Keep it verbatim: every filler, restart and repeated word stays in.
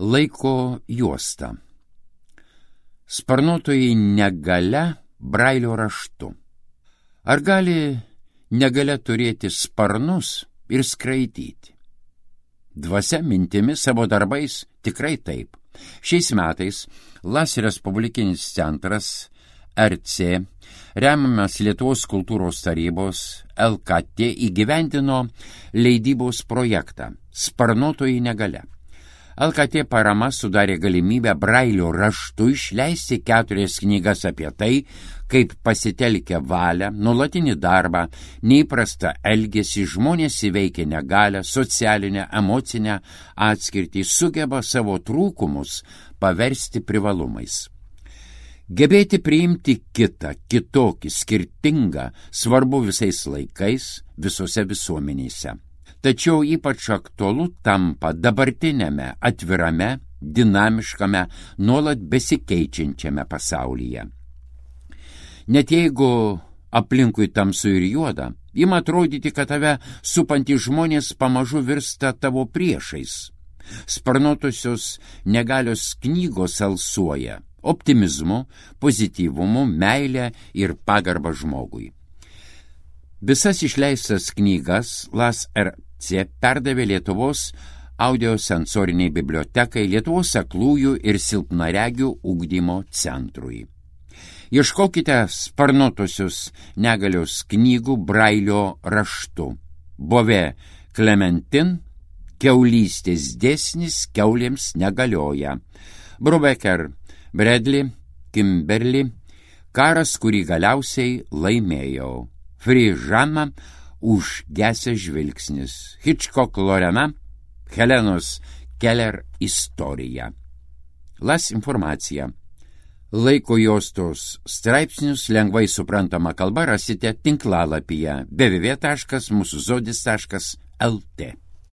Laiko juosta. Sparnuotojai negalia Brailio raštu. Ar gali negalia turėti sparnus ir skraidyti? Dvasia mintimi savo darbais tikrai taip. Šiais metais Las Respublikinis centras R C, remiamas Lietuvos kultūros tarybos L K T, įgyvendino leidybos projektą Sparnuotojai negalia. L K T parama sudarė galimybę Brailio raštu išleisti keturias knygas apie tai, kaip pasitelkę valią, nuolatinį darbą, neįprastą elgesį žmonės įveikia negalią, socialinę, emocinę atskirtį, sugeba savo trūkumus paversti privalumais. Gebėti priimti kitą, kitokį, skirtingą, svarbu visais laikais, visose visuomenėse. Tačiau ypač aktualu tampa dabartinėme, atvirame, dinamiškame, nuolat besikeičiančiame pasaulyje. Net jeigu aplinkui tamsu ir juoda, ima atrodyti, kad tave supantys žmonės pamažu virsta tavo priešais. Sparnuotosios negalios knygos alsuoja optimizmu, pozityvumu, meilę ir pagarbą žmogui. Visas išleistas knygas Las R C perdavė Lietuvos audiosensoriniai bibliotekai, Lietuvos aklųjų ir silpnaregių ugdymo centrui. Ieškokite sparnuotosios negalios knygų Brailio raštu. Bove Klementin, Kiaulystės dėsnis kiaulėms negalioja. Brubaker Bradley, Kimberly, Karas, kurį galiausiai laimėjau. Frižana, Užgesęs žvilgsnis. Hitchcock Lorena, Helenos Keller istorija. Las informacija. Laiko juostos straipsnius lengvai suprantama kalba rasite tinklalapyje w w w taškas mūsų zodis taškas l t.